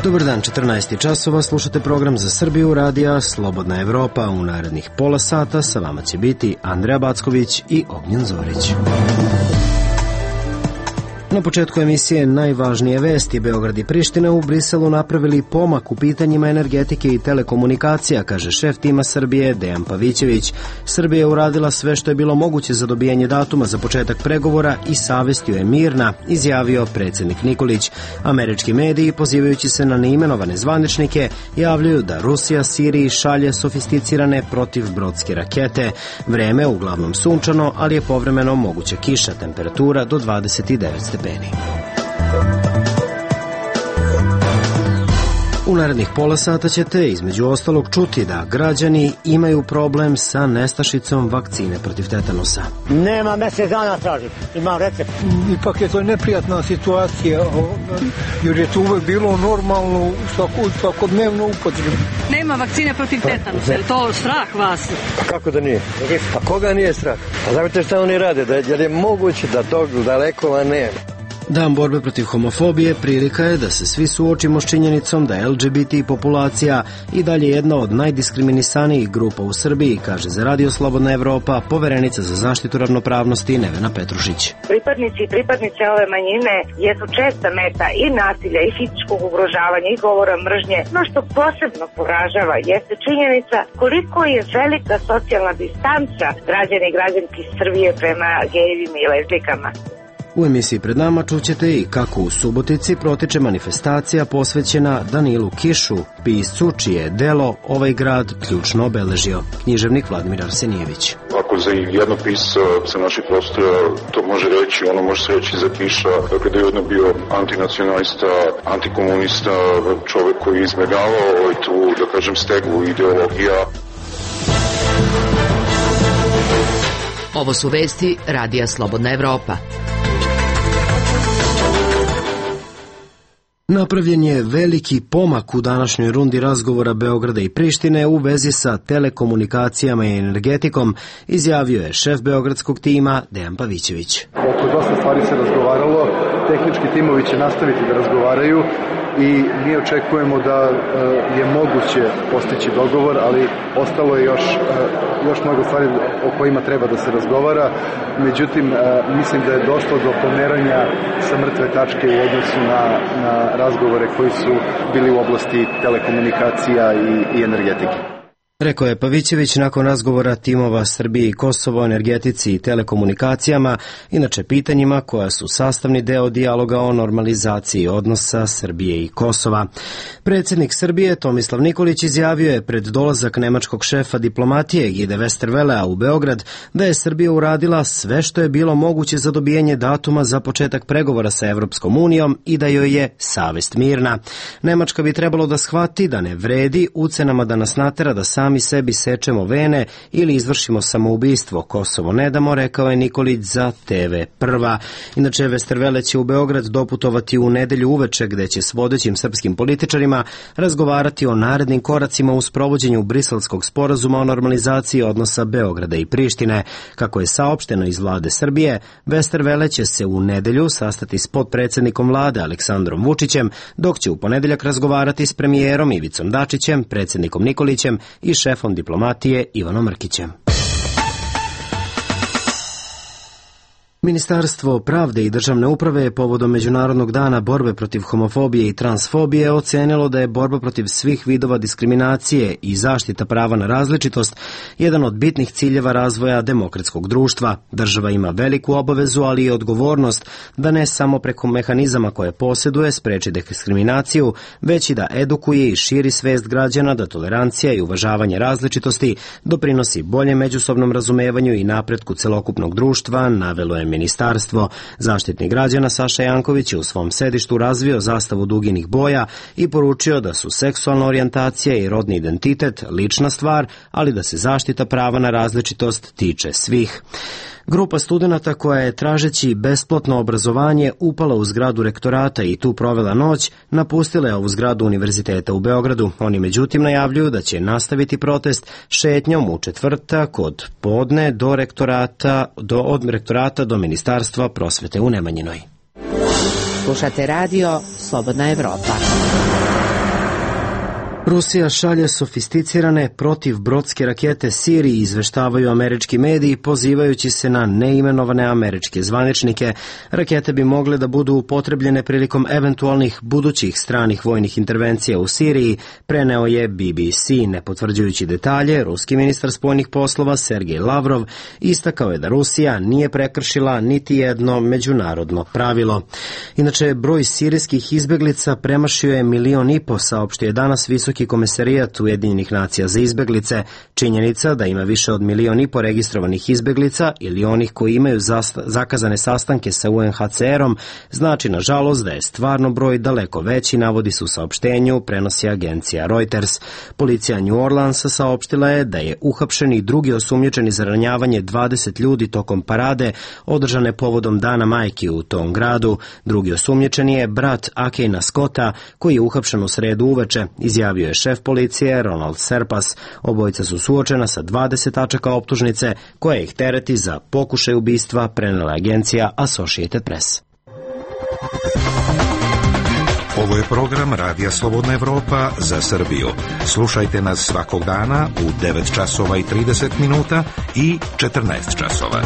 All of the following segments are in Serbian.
Dobar dan, 14 časova, slušate program za Srbiju radija Slobodna Evropa. U narednih pola sata sa vama će biti Andreja Backović i Ognjen Zorić. Na početku emisije najvažnije vesti. Beograd i Priština u Briselu napravili pomak u pitanjima energetike i telekomunikacija, kaže šef tima Srbije Dejan Pavićević. Srbija je uradila sve što je bilo moguće za dobijanje datuma za početak pregovora i savestio je mirna, izjavio predsjednik Nikolić. Američki mediji, pozivajući se na neimenovane zvaničnike, javljaju da Rusija Siriji šalje sofisticirane protivbrodske rakete. Vreme uglavnom sunčano, ali je povremeno moguća kiša, temperatura do 29 stepeni. U narednih pola sata ćete između ostalog čuti da građani imaju problem sa nestašicom vakcine protiv tetanusa. Nema mjesec dana tražiti, imam recept. Ipak je to neprijatna situacija, jer je to uvek bilo normalno u svakodnevnu upotrebu. Nema vakcine protiv tetanusa, je to strah vas? Pa kako da nije? Pa koga nije strah? Pa znate šta oni rade, jer je moguće da tog dalekova nema. Dan borbe protiv homofobije prilika je da se svi suočimo s činjenicom da je LGBT populacija i dalje jedna od najdiskriminisanijih grupa u Srbiji, kaže za Radio Slobodna Evropa poverenica za zaštitu ravnopravnosti Nevena Petrušić. Pripadnici i pripadnice ove manjine jesu česta meta i nasilja i fizičkog ugrožavanja i govora mržnje. No što posebno poražava jeste činjenica koliko je velika socijalna distanca građana i građanki Srbije prema gejevima i lezbijkama. U emisiji pred nama čućete i kako u Subotici protiče manifestacija posvećena Danilu Kišu, piscu čije je delo ovaj grad ključno obeležio. Književnik Vladimir Arsenijević. Ako za jednog pisca sa naših prostora to može reći, ono može se reći za Kiša, kada je jedno bio antinacionalista, antikomunista, čovjek koji je izbjegavao tu, da kažem, stegu ideologija. Ovo su vesti Radija Slobodna Evropa. Napravljen je veliki pomak u današnjoj rundi razgovora Beograda i Prištine u vezi sa telekomunikacijama i energetikom, izjavio je šef beogradskog tima Dejan Pavićević. Oko dosta stvari se razgovaralo, tehnički timovi će nastaviti da razgovaraju i mi očekujemo da je moguće postići dogovor, ali ostalo je još mnogo stvari o kojima treba da se razgovara. Međutim, mislim da je došlo do pomeranja sa mrtve tačke u odnosu na razgovore koji su bili u oblasti telekomunikacija i energetike. Rekao je Pavićević nakon razgovora timova Srbije i Kosovo o energetici i telekomunikacijama, inače pitanjima koja su sastavni deo dijaloga o normalizaciji odnosa Srbije i Kosova. Predsjednik Srbije Tomislav Nikolić izjavio je pred dolazak nemačkog šefa diplomatije Gide Westervelea u Beograd da je Srbija uradila sve što je bilo moguće za dobijanje datuma za početak pregovora sa Evropskom unijom i da joj je savest mirna. Nemačka bi trebalo da shvati da ne vredi ucenama da nas natera da sami sebi sečemo vene ili izvršimo samoubistvo. Kosovo ne damo, rekao je Nikolić za TV Prva. Inače, Westervele će u Beograd doputovati u nedelju uveče, gde će s vodećim srpskim političarima razgovarati o narednim koracima u sprovođenju Briselskog sporazuma o normalizaciji odnosa Beograda i Prištine. Kako je saopšteno iz vlade Srbije, Westervele će se u nedelju sastati s potpredsjednikom vlade Aleksandrom Vučićem, dok će u ponedeljak razgovarati s premijerom Ivicom Dačićem, predsjednikom Nikolićem i šefom diplomatije Ivanom Mrkićem. Ministarstvo pravde i državne uprave je povodom Međunarodnog dana borbe protiv homofobije i transfobije ocenilo da je borba protiv svih vidova diskriminacije i zaštita prava na različitost jedan od bitnih ciljeva razvoja demokratskog društva. Država ima veliku obavezu, ali i odgovornost da ne samo preko mehanizama koje posjeduje spreči diskriminaciju, već i da edukuje i širi svest građana da tolerancija i uvažavanje različitosti doprinosi boljem međusobnom razumevanju i napretku celokupnog društva, navelo je ministarstvo. Zaštitnik građana Saša Janković je u svom sedištu razvio zastavu duginih boja i poručio da su seksualna orijentacija i rodni identitet lična stvar, ali da se zaštita prava na različitost tiče svih. Grupa studenata koja je tražeći besplatno obrazovanje upala u zgradu rektorata i tu provela noć, napustila je ovu zgradu Univerziteta u Beogradu. Oni međutim najavljuju da će nastaviti protest šetnjom u četvrtak od podne od rektorata do Ministarstva prosvete u Nemanjinoj. Slušate radio Slobodna Evropa. Rusija šalje sofisticirane protivbrodske rakete Siriji, izveštavaju američki mediji, pozivajući se na neimenovane američke zvaničnike. Rakete bi mogle da budu upotrebljene prilikom eventualnih budućih stranih vojnih intervencija u Siriji, preneo je BBC. Ne potvrđujući detalje, ruski ministar spoljnih poslova Sergej Lavrov istakao je da Rusija nije prekršila niti jedno međunarodno pravilo. Inače, broj sirijskih izbeglica premašio je 1,5 miliona, saopštio je danas Visoki komesarijat Ujedinjenih nacija za izbeglice. Činjenica da ima više od 1,5 miliona registrovanih izbeglica ili onih koji imaju zakazane sastanke sa UNHCR-om znači nažalost da je stvarno broj daleko veći, navodi se u saopštenju, prenosi agencija Reuters. Policija New Orleansa saopštila je da je uhapšen i drugi osumnjičeni za ranjavanje 20 ljudi tokom parade održane povodom Dana majki u tom gradu. Drugi osumnjičeni je brat Akejna Scotta, koji je uhapšen u sredu uveče, izjavio je šef policije Ronald Serpas. Obojica su suočena sa 20 tačaka optužnice koja ih tereti za pokušaj ubistva, prenela agencija Associated Press. Ovo je program Radija Slobodna Evropa za Srbiju. Slušajte nas svakog dana u 9 časova i 30 minuta i 14 časova.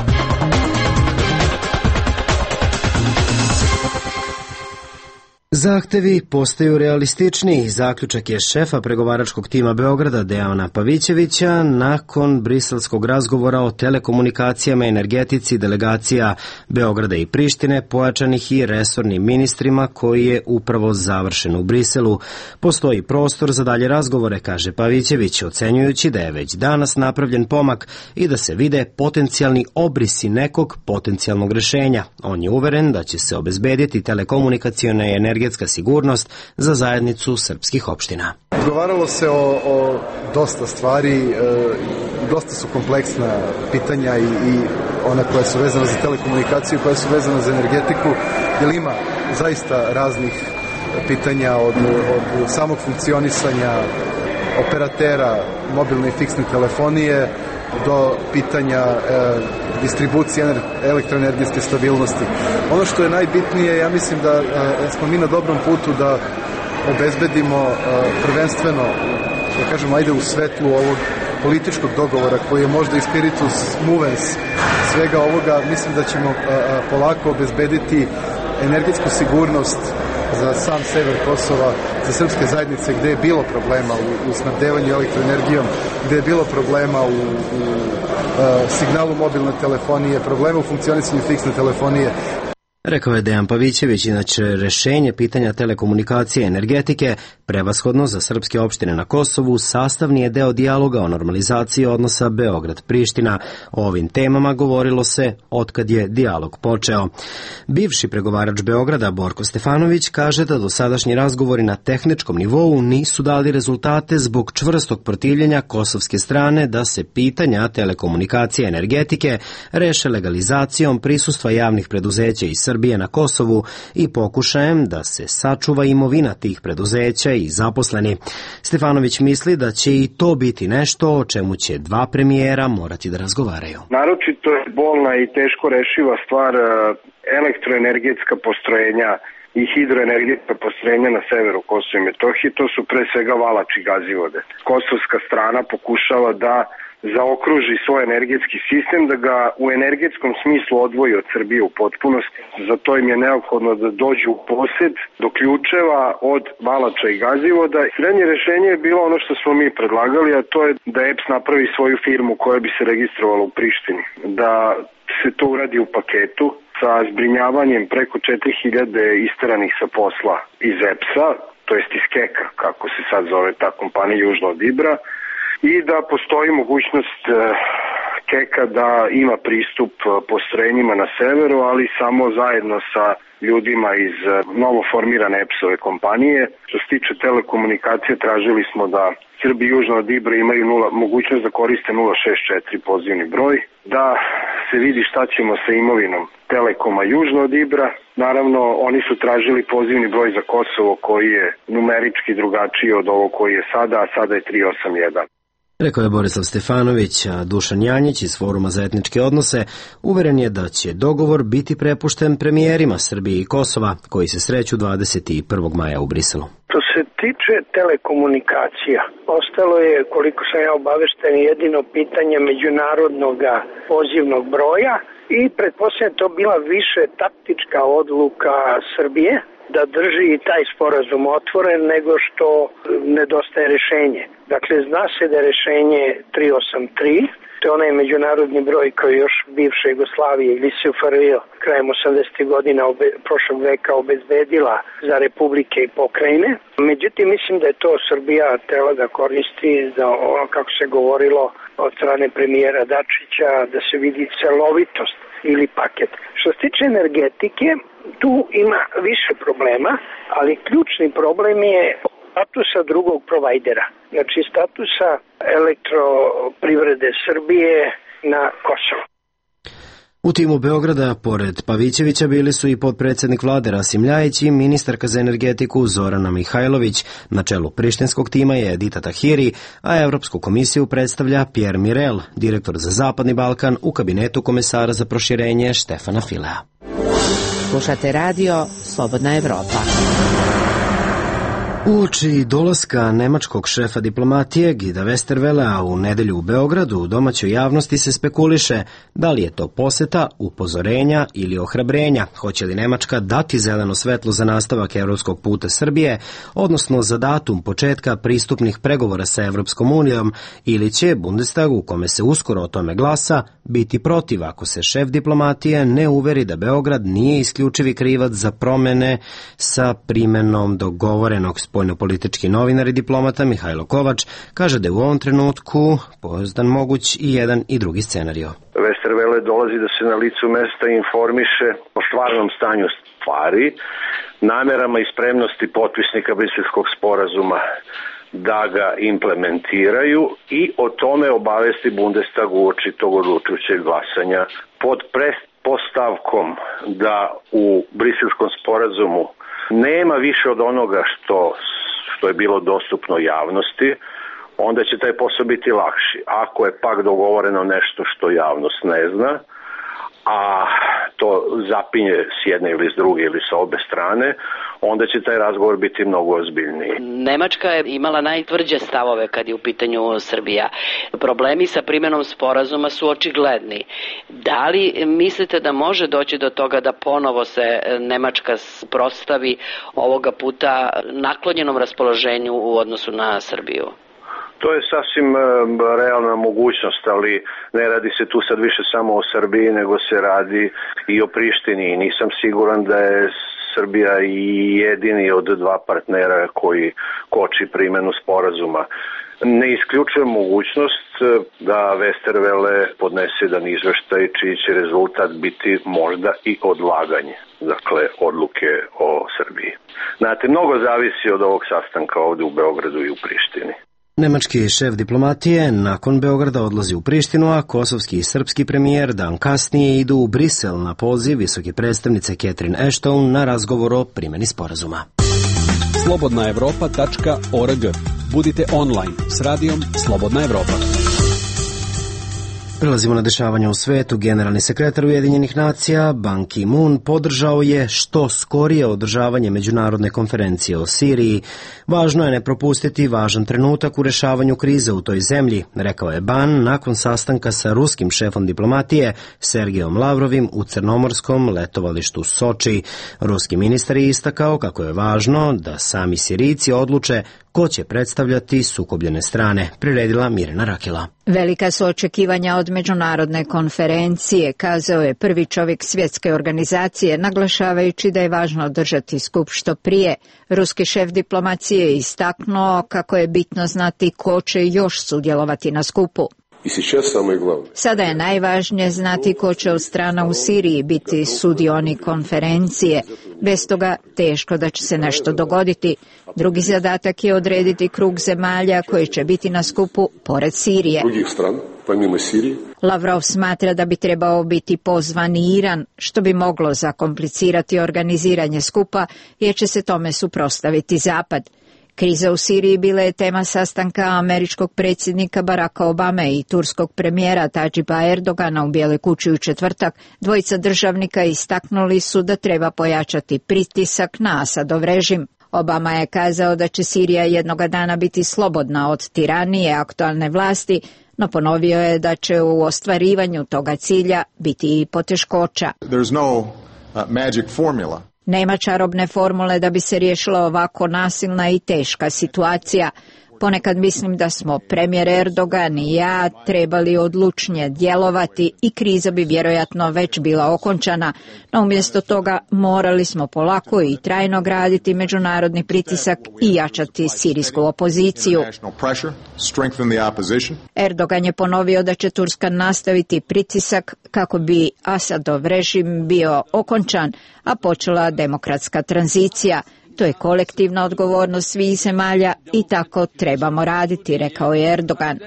Zahtevi postaju realističniji, zaključak je šefa pregovaračkog tima Beograda Dejana Pavićevića nakon briselskog razgovora o telekomunikacijama i energetici delegacija Beograda i Prištine, pojačanih i resornim ministrima, koji je upravo završen u Briselu. Postoji prostor za dalje razgovore, kaže Pavićević, ocenjujući da je već danas napravljen pomak i da se vide potencijalni obrisi nekog potencijalnog rešenja. On je uveren da će se obezbediti telekomunikaciona i energetska sigurnost za zajednicu srpskih opština. Razgovaralo se o dosta stvari, dosta su kompleksna pitanja i ona koja su vezana za telekomunikaciju, koja su vezana za energetiku, jer ima zaista raznih pitanja od samog funkcionisanja operatera mobilne i fiksne telefonije do pitanja distribucije elektroenergetske stabilnosti. Ono što je najbitnije, ja mislim da smo mi na dobrom putu da obezbedimo prvenstveno, da kažem, ajde u svetlu ovog političkog dogovora koji je možda i spiritus movens svega ovoga, mislim da ćemo polako obezbediti energetsku sigurnost za sam sever Kosova, za srpske zajednice gde je bilo problema u snabdevanju elektroenergijom, gde je bilo problema u signalu mobilne telefonije, problema u funkcionisanju fiksne telefonije. Rekao je Dejan Pavićević, inače rešenje pitanja telekomunikacije i energetike, prevashodno za srpske opštine na Kosovu, sastavni je deo dijaloga o normalizaciji odnosa Beograd-Priština. O ovim temama govorilo se otkad je dijalog počeo. Bivši pregovarač Beograda Borko Stefanović kaže da dosadašnji razgovori na tehničkom nivou nisu dali rezultate zbog čvrstog protivljenja kosovske strane da se pitanja telekomunikacije i energetike reše legalizacijom prisustva javnih preduzeća iz Srbije na Kosovu i pokušajem da se sačuva imovina tih preduzeća i zaposleni. Stefanović misli da će i to biti nešto o čemu će dva premijera morati da razgovaraju. Naročito je bolna i teško rešiva stvar elektroenergetska postrojenja i hidroenergetska postrojenja na severu Kosova i Metohije. To su pre svega Valač i Gazivode. Kosovska strana pokušava da zaokruži svoj energetski sistem, da ga u energetskom smislu odvoji od Srbije u potpunosti. Za to im je neophodno da dođu u posed do ključeva od Valača i Gazivoda. Srednje rešenje je bilo ono što smo mi predlagali, a to je da EPS napravi svoju firmu koja bi se registrovala u Prištini. Da se to uradi u paketu sa zbrinjavanjem preko 4000 isteranih sa posla iz EPS-a, to jest iz KEK-a, kako se sad zove ta kompanija južno od Ibra, i da postoji mogućnost KEK-a da ima pristup postrojenjima na severu, ali samo zajedno sa ljudima iz novoformirane EPS-ove kompanije. Što se tiče telekomunikacije, tražili smo da Srbi južno od Ibra imaju mogućnost da koriste 064 pozivni broj, da se vidi šta ćemo sa imovinom Telekoma južno od Ibra. Naravno, oni su tražili pozivni broj za Kosovo koji je numerički drugačiji od ovog koji je sada, a sada je 381. Rekao je Borislav Stefanović, a Dušan Janjić iz Foruma za etničke odnose uveren je da će dogovor biti prepušten premijerima Srbije i Kosova, koji se sreću 21. maja u Briselu. Što se tiče telekomunikacija, ostalo je, koliko sam ja obavešten, jedino pitanje međunarodnog pozivnog broja i pretpostavljam to bila više taktička odluka Srbije da drži i taj sporazum otvoren nego što nedostaje rešenje. Dakle, zna se da je rešenje 383, to je onaj međunarodni broj koji još bivša Jugoslavija ili SFRJ krajem 80. godina prošlog veka obezbedila za republike i pokrajine. Međutim, mislim da je to Srbija tela da koristi za ono kako se govorilo od strane premijera Dačića, da se vidi celovitost ili paket. Što se tiče energetike, tu ima više problema, ali ključni problem je statusa drugog provajdera, znači statusa elektroprivrede Srbije na Kosovo. U timu Beograda, pored Pavićevića, bili su i potpredsednik vlade Rasim Ljajić i ministarka za energetiku Zorana Mihajlović. Na čelu prištinskog tima je Edita Tahiri, a Evropsku komisiju predstavlja Pierre Mirel, direktor za Zapadni Balkan u kabinetu komesara za proširenje Štefana Filea. Slušate radio Slobodna Evropa. Uoči dolaska nemačkog šefa diplomatije Gida Westervelea u nedelju u Beogradu, u domaćoj javnosti se spekuliše da li je to poseta, upozorenja ili ohrabrenja. Hoće li Nemačka dati zeleno svetlo za nastavak evropskog puta Srbije, odnosno za datum početka pristupnih pregovora sa Evropskom unijom, ili će Bundestag, u kome se uskoro o tome glasa, biti protiv ako se šef diplomatije ne uveri da Beograd nije isključivi krivac za promene sa primenom dogovorenog. Spoljnopolitički novinar i diplomata Mihajlo Kovač kaže da je u ovom trenutku pozdan moguć i jedan i drugi scenario. Westerwelle dolazi da se na licu mesta informiše o stvarnom stanju stvari, namerama i spremnosti potpisnika Briselskog sporazuma da ga implementiraju i o tome obavesti Bundestag uoči tog odlučujućeg glasanja pod pretpostavkom da u Briselskom sporazumu nema više od onoga što je bilo dostupno javnosti, onda će taj posao biti lakši. Ako je pak dogovoreno nešto što javnost ne zna, a to zapinje s jedne ili s druge ili sa obe strane, onda će taj razgovor biti mnogo ozbiljniji. Nemačka je imala najtvrđe stavove kad je u pitanju Srbija. Problemi sa primenom sporazuma su očigledni. Da li mislite da može doći do toga da ponovo se Nemačka prostavi ovoga puta naklonjenom raspoloženju u odnosu na Srbiju? To je sasvim realna mogućnost, ali ne radi se tu sad više samo o Srbiji, nego se radi i o Prištini. I nisam siguran da je Srbija i jedini od dva partnera koji koči primenu sporazuma. Ne isključujem mogućnost da Westerwelle podnese jedan izveštaj čiji će rezultat biti možda i odlaganje, dakle odluke o Srbiji. Znate, mnogo zavisi od ovog sastanka ovde u Beogradu i u Prištini. Nemački šef diplomatije nakon Beograda odlazi u Prištinu, a kosovski i srpski premijer dan kasnije idu u Brisel na poziv visoke predstavnice Catherine Ashton na razgovor o primjeni sporazuma. slobodnaevropa.org. Budite online s radijom Slobodna Evropa. Prelazimo na dešavanja u svetu. Generalni sekretar Ujedinjenih nacija Ban Ki-moon podržao je što skorije održavanje međunarodne konferencije o Siriji. Važno je ne propustiti važan trenutak u rešavanju krize u toj zemlji, rekao je Ban nakon sastanka sa ruskim šefom diplomatije Sergejom Lavrovim u crnomorskom letovalištu Soči. Ruski ministar je istakao kako je važno da sami Sirijci odluče ko će predstavljati sukobljene strane, priredila Mirjana Rakela. Velika su očekivanja od međunarodne konferencije, kazao je prvi čovjek svjetske organizacije, naglašavajući da je važno održati skup što prije. Ruski šef diplomacije je istaknuo kako je bitno znati ko će još sudjelovati na skupu. Sada je najvažnije znati ko će od strana u Siriji biti sudionik konferencije. Bez toga teško da će se nešto dogoditi. Drugi zadatak je odrediti krug zemalja koji će biti na skupu pored Sirije. Lavrov smatra da bi trebao biti pozvan i Iran, što bi moglo zakomplicirati organiziranje skupa jer će se tome suprotstaviti Zapad. Kriza u Siriji bila je tema sastanka američkog predsjednika Baracka Obame i turskog premijera Tadžiba Erdogana u Bijeloj kući u četvrtak. Dvojica državnika istaknuli su da treba pojačati pritisak na Asadov režim. Obama je kazao da će Sirija jednoga dana biti slobodna od tiranije aktualne vlasti, no ponovio je da će u ostvarivanju toga cilja biti i poteškoća. Nema čarobne formule da bi se riješila ovako nasilna i teška situacija. Ponekad mislim da smo premijer Erdogan i ja trebali odlučnije djelovati i kriza bi vjerojatno već bila okončana, no umjesto toga morali smo polako i trajno graditi međunarodni pritisak i jačati sirijsku opoziciju. Erdogan je ponovio da će Turska nastaviti pritisak kako bi Asadov režim bio okončan, a počela demokratska tranzicija. To je kolektivna odgovornost svih zemalja i tako trebamo raditi, rekao je Erdogan.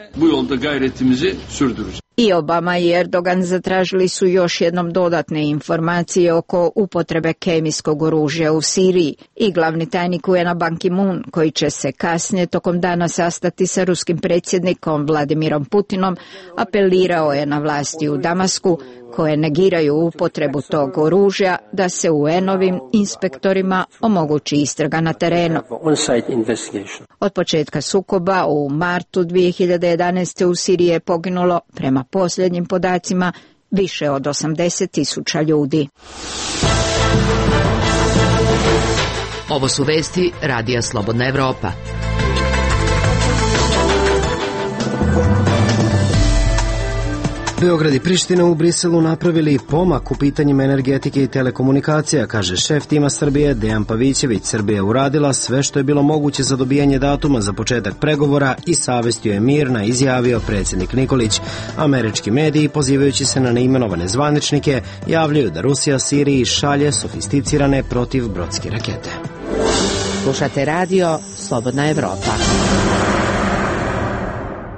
I Obama i Erdogan zatražili su još jednom dodatne informacije oko upotrebe kemijskog oružja u Siriji i glavni tajnik UN-a Ban Ki-moon, koji će se kasnije tokom dana sastati sa ruskim predsjednikom Vladimirom Putinom, apelirao je na vlasti u Damasku, koje negiraju upotrebu tog oružja, da se UN-ovim inspektorima omogući istraga na terenu. Od početka sukoba u martu 2011. u Siriji je poginulo, prema posljednjim podacima, više od 80.000 ljudi. Ovo su vesti Radija Slobodna Evropa. Beograd i Priština u Briselu napravili pomak u pitanjima energetike i telekomunikacija, kaže šef tima Srbije Dejan Pavićević. Srbija je uradila sve što je bilo moguće za dobijanje datuma za početak pregovora i savestio je mirna, izjavio predsjednik Nikolić. Američki mediji, pozivajući se na neimenovane zvaničnike, javljaju da Rusija Siriji šalje sofisticirane protivbrodske rakete. Slušate radio Slobodna Evropa.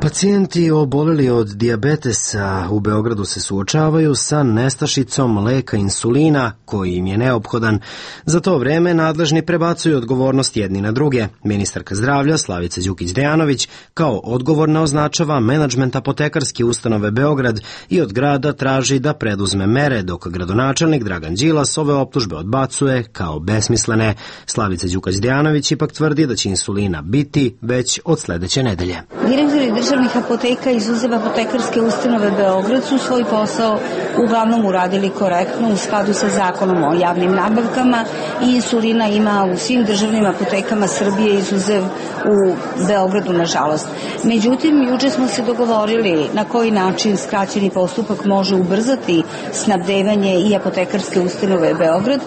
Pacijenti oboleli od dijabetesa u Beogradu se suočavaju sa nestašicom leka insulina koji im je neophodan. Za to vreme nadležni prebacuju odgovornost jedni na druge. Ministarka zdravlja Slavica Đukić-Dejanović kao odgovorna označava menadžment apotekarske ustanove Beograd i od grada traži da preduzme mere, dok gradonačelnik Dragan Đilas ove optužbe odbacuje kao besmislene. Slavica Đukić-Dejanović ipak tvrdi da će insulina biti već od sledeće nedelje. Direktori državnih apoteka izuzev apotekarske ustanove Beograd su svoj posao uglavnom uradili korektno u skladu sa zakonom o javnim nabavkama i insulina ima u svim državnim apotekama Srbije izuzev u Beogradu, nažalost. Međutim, juče smo se dogovorili na koji način skraćeni postupak može ubrzati snabdevanje i apotekarske ustanove Beograd.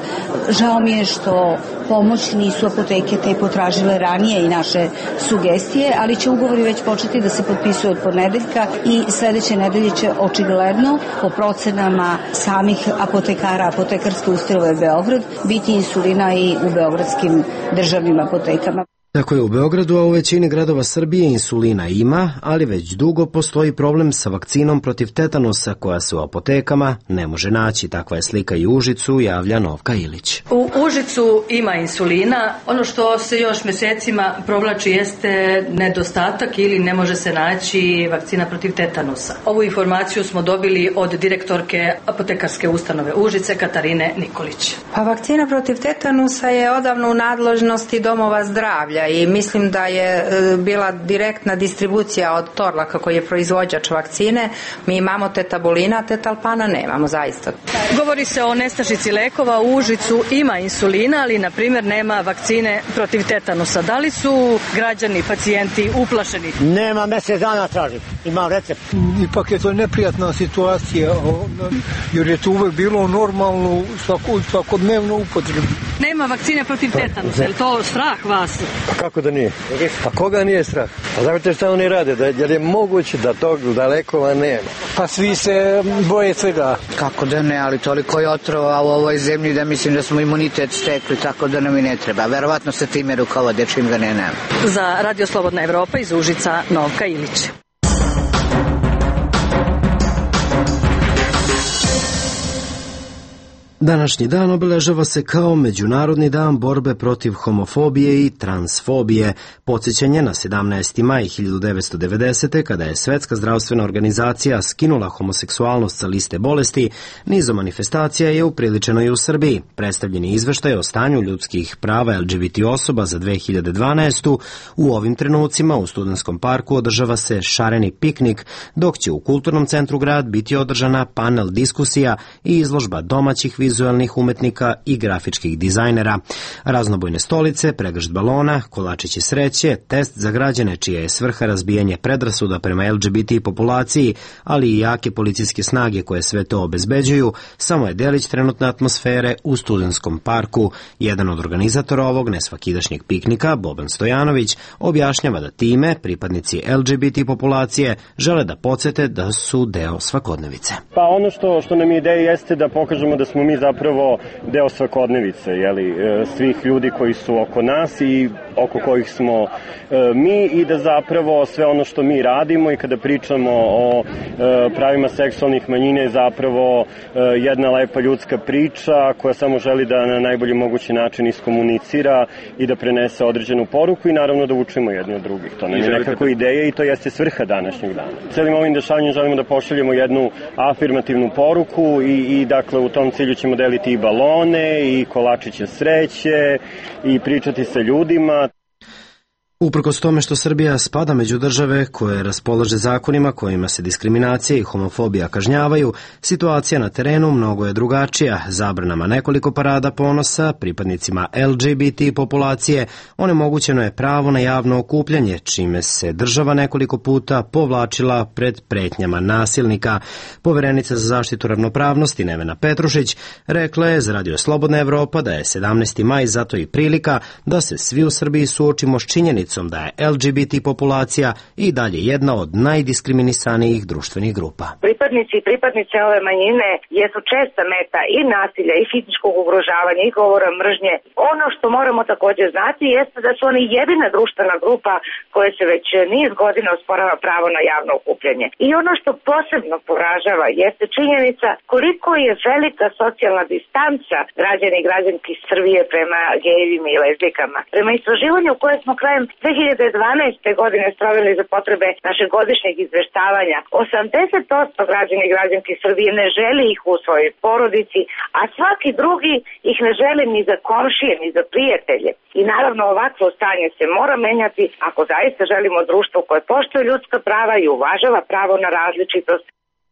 Žao mi je što pomoć nisu apoteke te potražile ranije i naše sugestije, ali će ugovori već početi da se potpisuju od ponedeljka i sledeće nedelje će očigledno po procenama samih apotekara apotekarske ustanove Beograd biti insulina i u beogradskim državnim apotekama. Tako je u Beogradu, a u većini gradova Srbije insulina ima, ali već dugo postoji problem sa vakcinom protiv tetanusa koja se u apotekama ne može naći. Takva je slika i u Užicu, javlja Novka Ilić. U Užicu ima insulina. Ono što se još mesecima provlači jeste nedostatak ili ne može se naći vakcina protiv tetanusa. Ovu informaciju smo dobili od direktorke apotekarske ustanove Užice, Katarine Nikolić. Pa vakcina protiv tetanusa je odavno u nadležnosti domova zdravlja i mislim da je bila direktna distribucija od Torlaka koji je proizvođač vakcine. Mi imamo tetabulina, tetalpana nemamo zaista. Govori se o nestašici lekova. U Užicu ima insulina, ali na primjer nema vakcine protiv tetanusa. Da li su građani, pacijenti uplašeni? Nema, mesec dana tražim. Imam recept. Ipak je to neprijatna situacija, jer je to uvek bilo normalno svakodnevno upotrebu. Nema vakcine protiv tetanusa, je li to strah vas? Pa kako da nije? Pa koga nije strah? Pa znate šta oni rade? Jer je moguće da tog lekova nema? Pa svi se boje svega. Kako da ne, ali toliko je otrova u ovoj zemlji da mislim da smo imunitet stekli, tako da nam i ne treba. Verovatno se time rukovode čim ga ne nema. Za Radio Slobodna Evropa iz Užica, Novka Ilić. Današnji dan obeležava se kao Međunarodni dan borbe protiv homofobije i transfobije, podsjećanje na 17. maj 1990. kada je Svetska zdravstvena organizacija skinula homoseksualnost sa liste bolesti. Nizom manifestacija je upriličeno i u Srbiji. Predstavljeni izveštaj o stanju ljudskih prava LGBT osoba za 2012. U ovim trenucima u Studentskom parku održava se šareni piknik, dok će u Kulturnom centru grad biti održana panel diskusija i izložba domaćih vizualnih umetnika i grafičkih dizajnera. Raznobojne stolice, pregršt balona, kolačići sreće, test za građane čija je svrha razbijanje predrasuda prema LGBT populaciji, ali i jake policijske snage koje sve to obezbeđuju, samo je delić trenutne atmosfere u Studentskom parku. Jedan od organizatora ovog nesvakidašnjeg piknika, Boban Stojanović, objašnjava da time pripadnici LGBT populacije žele da podsete da su deo svakodnevice. Pa ono što nam je ideja jeste da pokažemo da smo mi zapravo deo svakodnevice, svih ljudi koji su oko nas i oko kojih smo mi, i da zapravo sve ono što mi radimo i kada pričamo o pravima seksualnih manjina je zapravo jedna lepa ljudska priča koja samo želi da na najbolji mogući način iskomunicira i da prenese određenu poruku i naravno da učimo jedni od drugih. To nam je nekako ideja i to jeste svrha današnjeg dana. Celim ovim dešavanjem želimo da pošaljemo jednu afirmativnu poruku i dakle u tom cilju ćemo deliti i balone i kolačiće sreće i pričati sa ljudima. Uprkos tome što Srbija spada među države koje raspolaže zakonima kojima se diskriminacija i homofobija kažnjavaju, situacija na terenu mnogo je drugačija. Zabranama nekoliko parada ponosa pripadnicima LGBT populacije onemogućeno je pravo na javno okupljanje, čime se država nekoliko puta povlačila pred pretnjama nasilnika. Poverenica za zaštitu ravnopravnosti Nevena Petrušić rekla je za Radio Slobodna Evropa da je 17. maj zato i prilika da se svi u Srbiji suočimo s činjenicom da je LGBT populacija i dalje jedna od najdiskriminisanijih društvenih grupa. Pripadnici i pripadnice ove manjine jesu česta meta i nasilja i fizičkog ugrožavanja i govora mržnje. Ono što moramo također znati jeste da su oni jedina društvena grupa koja se već niz godina osporava pravo na javno okupljanje. I ono što posebno poražava jeste činjenica koliko je velika socijalna distanca građana i građanki Srbije prema gejevima i lezbijkama. Prema istraživanju koje smo krajem 2012. godine sproveli za potrebe našeg godišnjeg izveštavanja, 80% građana i građanki Srbije ne želi ih u svojoj porodici, a svaki drugi ih ne želi ni za komšije, ni za prijatelje. I naravno ovakvo stanje se mora menjati ako zaista želimo društvo koje poštuje ljudska prava i uvažava pravo na različitost.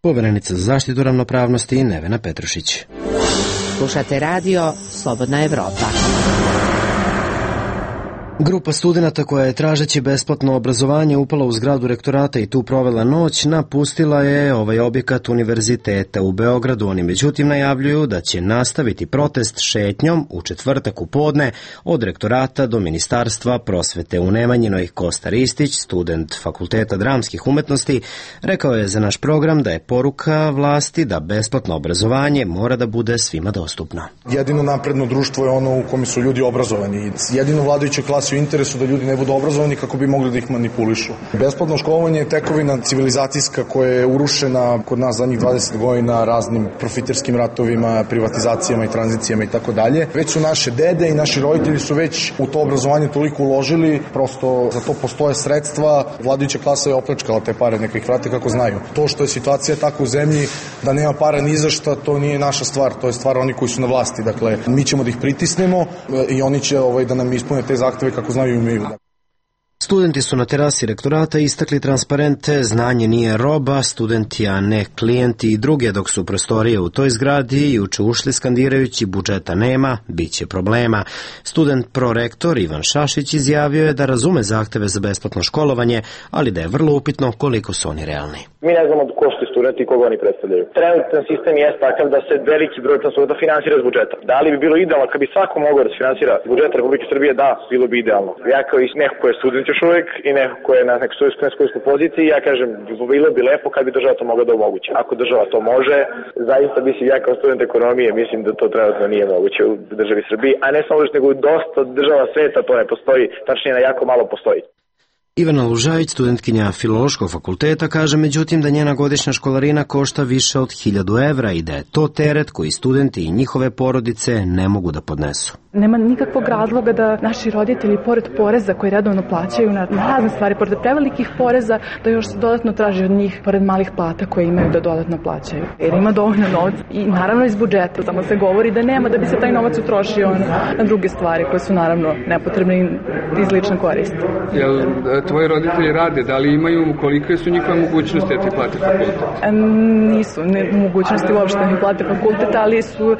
Poverenica za zaštitu ravnopravnosti Nevena Petrušić. Slušate radio Slobodna Evropa. Grupa studenata koja je tražeći besplatno obrazovanje upala u zgradu rektorata i tu provela noć, napustila je ovaj objekat univerziteta u Beogradu. Oni međutim najavljuju da će nastaviti protest šetnjom u četvrtak u podne od rektorata do Ministarstva prosvete. U Nemanjinoj Kosta Ristić, student Fakulteta dramskih umetnosti, rekao je za naš program da je poruka vlasti da besplatno obrazovanje mora da bude svima dostupno. Jedino napredno društvo je ono u kome su ljudi obrazovani. Jedino vladajuća klasa u interesu da ljudi ne budu obrazovani kako bi mogli da ih manipulišu. Besplatno školovanje je tekovina civilizacijska koja je urušena kod nas zadnjih 20 godina raznim profiterskim ratovima, privatizacijama i tranzicijama i tako dalje. Već su naše dede i naši roditelji su već u to obrazovanje toliko uložili, prosto za to postoje sredstva. Vladajuća klasa je opljačkala te pare, neka ih vrate kako znaju. To što je situacija tako u zemlji da nema para ni za šta, to nije naša stvar, to je stvar oni koji su na vlasti. Dakle, mi ćemo da ih pritisnemo i oni će da nam ispune te zahteve kako znaju i umeju. Studenti su na terasi rektorata istakli transparente "Znanje nije roba, studenti a ne klijenti" i druge, dok su prostorije u toj zgradi juče ušli skandirajući "budžeta nema, bit će problema". Student prorektor Ivan Šašić izjavio je da razume zahteve za besplatno školovanje, ali da je vrlo upitno koliko su oni realni. Mi ne znamo ko su studenti i koga oni predstavljaju. Trenutan sistem je takav da se veliki broj studenta finansira iz budžeta. Da li bi bilo idealno kad bi svako mogao da se finansira iz budžeta Republike Srbije? Da, bilo bi idealno. Ja kao i neko ko je student još uvek i neko ko je na nekoj studentskoj poziciji, ja kažem, bilo bi lepo kad bi država to mogla da omogući. Ako država to može, zaista mislim, ja kao student ekonomije mislim da to trenutno nije moguće u državi Srbiji, a ne samo nego u dosta država sveta to ne postoji, tačnije na jako malo postoji. Ivana Lužajić, studentkinja Filološkog fakulteta, kaže međutim da njena godišnja školarina košta više od 1000 evra i da je to teret koji studenti i njihove porodice ne mogu da podnesu. Nema nikakvog razloga da naši roditelji, pored poreza koji redovno plaćaju na razne stvari, pored prevelikih poreza, da još se dodatno traži od njih, pored malih plata koje imaju, da dodatno plaćaju. Jer ima dovoljno novca i naravno iz budžeta, samo se govori da nema, da bi se taj novac utrošio na druge stvari koje su naravno nepotrebne i iz lične koristi. Jel tvoji roditelji rade, da li imaju, kolike su njihove mogućnosti da ti plate fakultet? Nisu mogućnosti uopšte da mi plate fakultet, ali su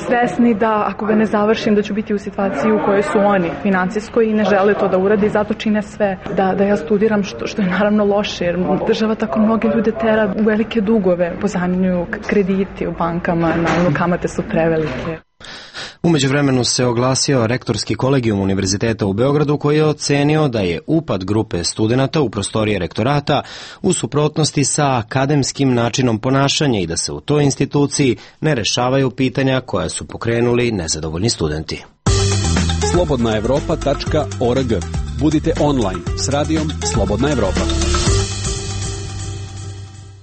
svesni da ako ga ne završim da ću biti u situaciji u kojoj su oni financijsko i ne žele to da uradi, zato čine sve da ja studiram, što je naravno loše, jer država tako mnogi ljude tera u velike dugove, pozajmljuju krediti u bankama, naravno kamate su prevelike. U međuvremenu se oglasio rektorski kolegijum Univerziteta u Beogradu koji je ocenio da je upad grupe studenata u prostorije rektorata u suprotnosti sa akademskim načinom ponašanja i da se u toj instituciji ne rešavaju pitanja koja su pokrenuli nezadovoljni studenti. slobodnaevropa.org. Budite online s radijom Slobodna Evropa.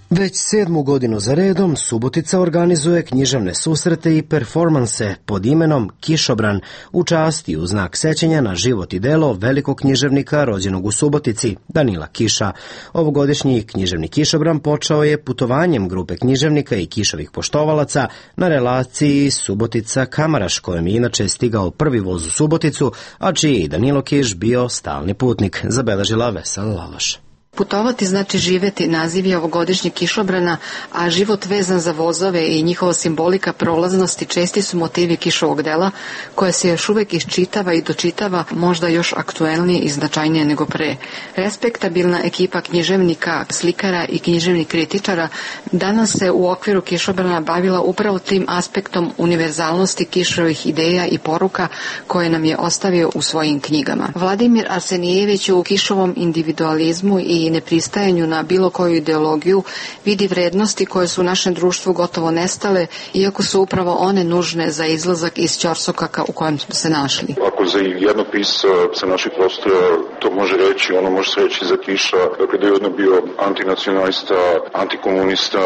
Već 7. godinu za redom Subotica organizuje književne susrete i performanse pod imenom Kišobran u čast i u znak sećanja na život i delo velikog književnika rođenog u Subotici, Danila Kiša. Ovogodišnji književni Kišobran počeo je putovanjem grupe književnika i Kišovih poštovalaca na relaciji Subotica-Kamaraš, kojem je inače stigao prvi voz u Suboticu, a čiji je Danilo Kiš bio stalni putnik, zabeležila Vesela Laloš. Putovati znači živeti, naziv je ovogodišnjeg Kišobrana, a život vezan za vozove i njihova simbolika prolaznosti česti su motivi Kišovog dela, koje se još uvek iščitava i dočitava, možda još aktuelnije i značajnije nego pre. Respektabilna ekipa književnika, slikara i književnih kritičara danas se u okviru Kišobrana bavila upravo tim aspektom univerzalnosti Kišovih ideja i poruka koje nam je ostavio u svojim knjigama. Vladimir Arsenijević u Kišovom individualizmu i nepristajanju na bilo koju ideologiju vidi vrednosti koje su u našem društvu gotovo nestale, iako su upravo one nužne za izlazak iz ćorsokaka u kojem smo se našli. Ako za jednog pisca sa naših prostora to može reći, ono može se reći za Kiša, kada je jedno bio antinacionalista, antikomunista,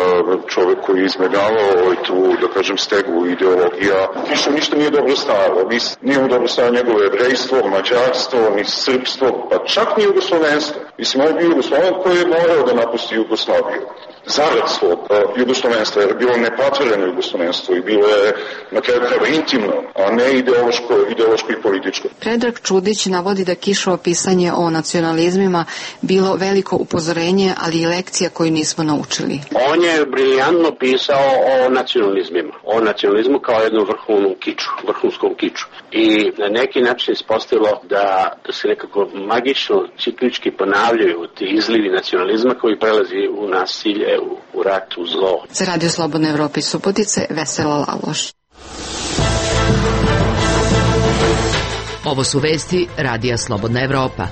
čovek koji je izmegavao tu, da kažem, stegu ideologija. Kiša ništa nije dobro stavio. Nije mu dobro stavio njegovo jevrejstvo, mađarstvo, ni srpstvo, pa čak ni jugoslovenstvo. Mislim, on je bio Jugosloven koji je morao da napusti Jugoslaviju. Zarad svog jugoslovenstva, jer je bilo nepatvoreno jugoslovenstvo i bilo je na kraju krajeva intimno, a ne ideološko i političko. Predrag Čudić navodi da Kišovo pisanje o nacionalizmima bilo veliko upozorenje, ali i lekcija koju nismo naučili. On je briljantno pisao o nacionalizmima, o nacionalizmu kao jednom vrhunskom kiču. I na neki način ispostavilo da se nekako magično, ciklički ponavljaju ti izlivi nacionalizma koji prelazi u nasilje, u rat, u zlo. Za Radio Slobodna Evropa iz Subotice, Vesela Laloš. Ovo su vesti Radija Slobodna Evropa.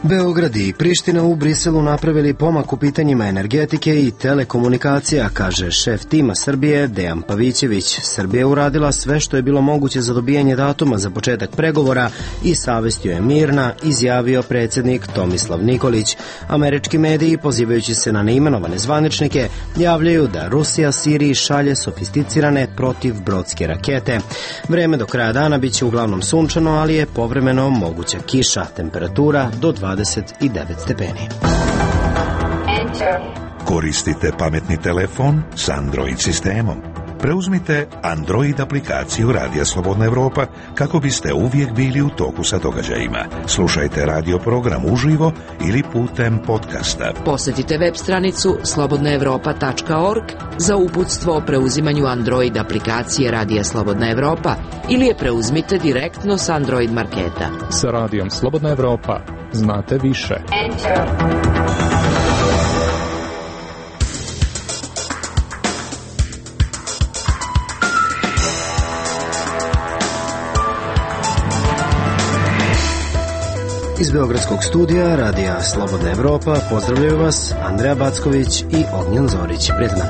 Beograd i Priština u Briselu napravili pomak u pitanjima energetike i telekomunikacija, kaže šef tima Srbije Dejan Pavićević. Srbija je uradila sve što je bilo moguće za dobijanje datuma za početak pregovora i savestio je mirna, izjavio predsjednik Tomislav Nikolić. Američki mediji, pozivajući se na neimenovane zvaničnike, javljaju da Rusija Siriji šalje sofisticirane protivbrodske rakete. Vreme do kraja dana biće uglavnom sunčano, ali je povremeno moguća kiša, temperatura do 29 stepeni. Koristite pametni telefon s Android sistemom. Preuzmite Android aplikaciju Radija Slobodna Evropa kako biste uvijek bili u toku sa događajima. Slušajte radio program uživo ili putem podcasta. Posjetite web stranicu slobodnaevropa.org za uputstvo o preuzimanju Android aplikacije Radija Slobodna Evropa ili je preuzmite direktno s Android marketa. Sa Radijom Slobodna Evropa znate više. Iz Beogradskog studija Radija Slobodna Evropa pozdravljaju vas Andreja Backović i Ognjen Zorić. Prijatno.